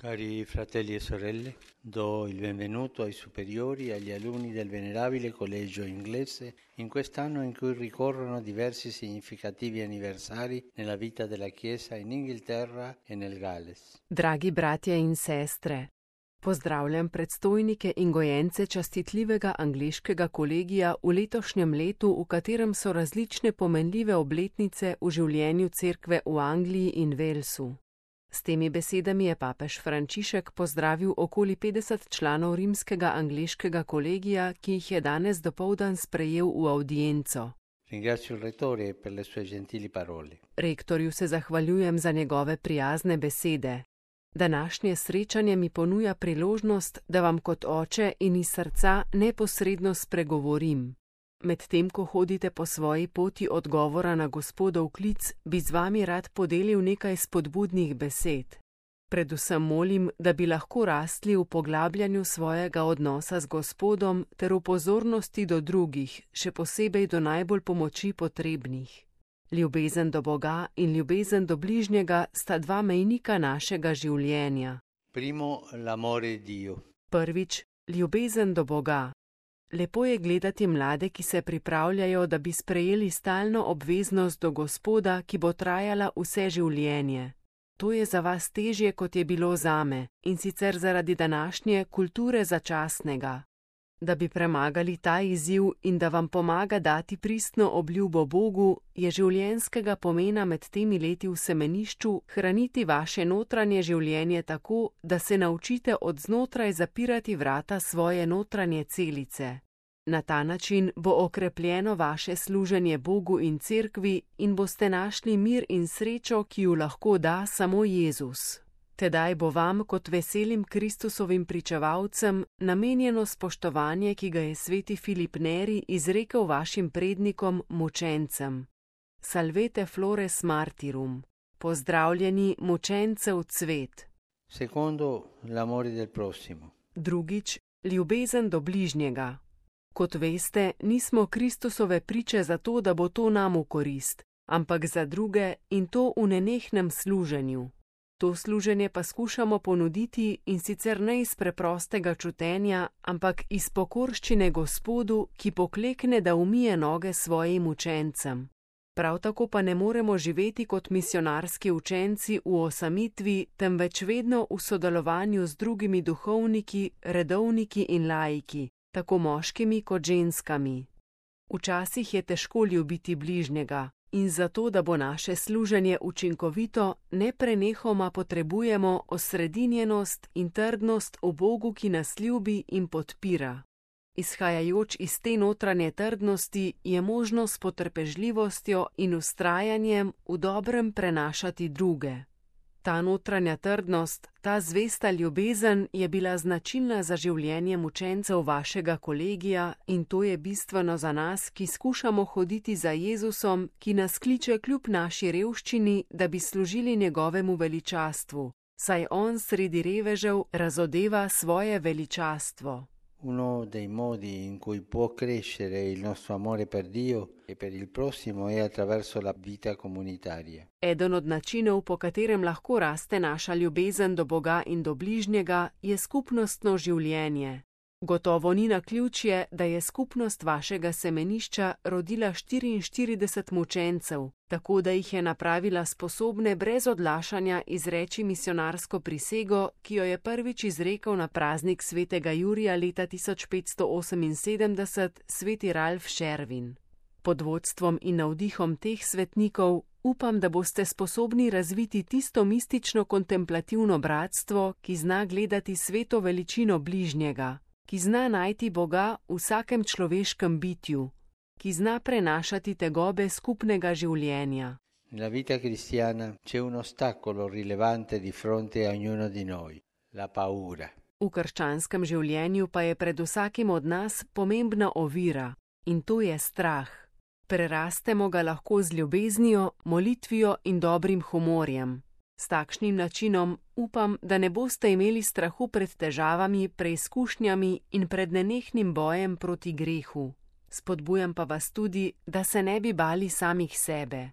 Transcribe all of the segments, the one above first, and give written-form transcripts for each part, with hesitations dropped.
Cari fratelli e sorelle, do il benvenuto ai superiori e agli alunni del Venerabile Collegio Inglese in quest'anno in cui ricorrono diversi significativi anniversari nella vita della Chiesa in Inghilterra e nel Galles. Dragi bratje in sestre, pozdravljam predstojnike in gojence častitljivega angleškega kolegija v letošnjem letu, v katerem so različne pomenljive obletnice v življenju cerkve v Angliji in Walesu. S temi besedami je papež Frančišek pozdravil okoli 50 članov rimskega angleškega kolegija, ki jih je danes dopoldan sprejel v avdienco. Ringrazio il Rettore per le sue gentili parole. Rektorju se zahvaljujem za njegove prijazne besede. Današnje srečanje mi ponuja priložnost, da vam kot oče in iz srca neposredno spregovorim. Medtem ko hodite po svoji poti odgovora na Gospodov klic, bi z vami rad podelil nekaj spodbudnih besed. Predvsem molim, da bi lahko rastli v poglabljanju svojega odnosa z Gospodom ter v pozornosti do drugih, še posebej do najbolj pomoči potrebnih. Ljubezen do Boga in ljubezen do bližnjega sta dva mejnika našega življenja. Primo, l'amore di Dio. Prvič, ljubezen do Boga. Lepo je gledati mlade, ki se pripravljajo, da bi sprejeli stalno obveznost do Gospoda, ki bo trajala vse življenje. To je za vas težje, kot je bilo zame, in sicer zaradi današnje kulture začasnega. Da bi premagali ta izziv in da vam pomaga dati pristno obljubo Bogu, je življenjskega pomena med temi leti v semenišču hraniti vaše notranje življenje tako, da se naučite od znotraj zapirati vrata svoje notranje celice. Na ta način bo okrepljeno vaše služenje Bogu in cerkvi in boste našli mir in srečo, ki ju lahko da samo Jezus. Tedaj bo vam kot veselim Kristusovim pričevalcem namenjeno spoštovanje, ki ga je sveti Filip Neri izrekel vašim prednikom mučencem. Salvete flores martyrum. Pozdravljeni mučencev cvet. Secondo, l'amore del prossimo. Drugič, ljubezen do bližnjega. Kot veste, nismo Kristusove priče zato, da bo to nam v korist, ampak za druge in to v nenehnem služenju. To služenje pa skušamo ponuditi in sicer ne iz preprostega čutenja, ampak iz pokorščine Gospodu, ki poklekne, da umije noge svojim učencem. Prav tako pa ne moremo živeti kot misionarski učenci v osamitvi, temveč vedno v sodelovanju z drugimi duhovniki, redovniki in laiki, tako moškimi kot ženskami. Včasih je težko ljubiti bližnjega. In zato, da bo naše služenje učinkovito, neprenehoma potrebujemo osredinjenost in trdnost v Bogu, ki nas ljubi in podpira. Izhajajoč iz te notranje trdnosti je možno s potrpežljivostjo in vztrajanjem v dobrem prenašati druge. Ta notranja trdnost, ta zvesta ljubezen je bila značilna za življenje mučencev vašega kolegija in to je bistveno za nas, ki skušamo hoditi za Jezusom, ki nas kliče kljub naši revščini, da bi služili njegovemu veličastvu, saj on sredi revežev razodeva svoje veličastvo. Uno dei modi in cui può crescere il nostro amore per Dio e per il prossimo è attraverso la vita comunitaria. Eden od načinov, po katerem lahko raste naša ljubezen do Boga in do bližnjega, je skupnostno življenje. Gotovo ni naključje, da je skupnost vašega semenišča rodila 44 mučencev, tako da jih je napravila sposobne brez odlašanja izreči misionarsko prisego, ki jo je prvič izrekel na praznik svetega Jurija leta 1578 sveti Ralf Šervin. Pod vodstvom in navdihom teh svetnikov upam, da boste sposobni razviti tisto mistično kontemplativno bratstvo, ki zna gledati sveto veličino bližnjega, ki zna najti Boga v vsakem človeškem bitju, ki zna prenašati tegobe skupnega življenja. Nella vita cristiana c'è un ostacolo rilevante di fronte a ognuno di noi, la paura. V krščanskem življenju pa je pred vsakim od nas pomembna ovira, in to je strah. Prerastemo ga lahko z ljubeznijo, molitvijo in dobrim humorjem. S takšnim načinom upam, da ne boste imeli strahu pred težavami, preizkušnjami in pred nenehnim bojem proti grehu. Spodbujam pa vas tudi, da se ne bi bali samih sebe.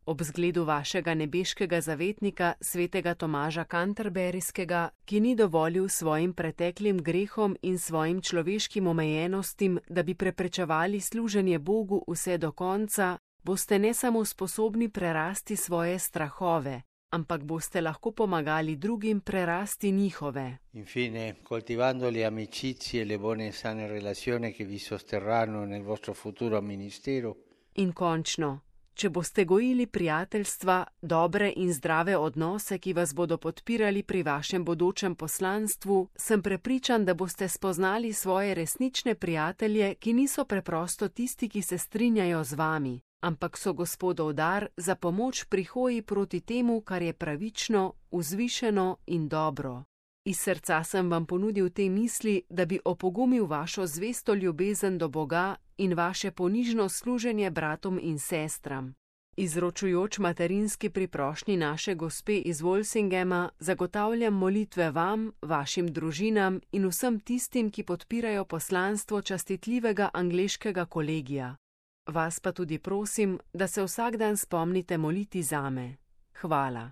ob zgledu vašega nebeškega zavetnika, svetega Tomaža Canterburyskega, ki ni dovolil svojim preteklim grehom in svojim človeškim omejenostim, da bi preprečevali služenje Bogu vse do konca, boste ne samo sposobni prerasti svoje strahove, ampak boste lahko pomagali drugim prerasti njihove. Infine, coltivando le amicizie e le buone e sane relazioni che vi sosterranno nel vostro futuro ministero. In končno, če boste gojili prijateljstva, dobre in zdrave odnose, ki vas bodo podpirali pri vašem bodočem poslanstvu, sem prepričan, da boste spoznali svoje resnične prijatelje, ki niso preprosto tisti, ki se strinjajo z vami, ampak so Gospodov dar za pomoč pri hoji proti temu, kar je pravično, vzvišeno in dobro. Iz srca sem vam ponudil te misli, da bi opogumil vašo zvesto ljubezen do Boga in vaše ponižno služenje bratom in sestram. Izročujoč materinski priprošnji naše Gospe iz Walsingema, zagotavljam molitve vam, vašim družinam in vsem tistim, ki podpirajo poslanstvo častitljivega angleškega kolegija. Vas pa tudi prosim, da se vsak dan spomnite moliti zame. Hvala.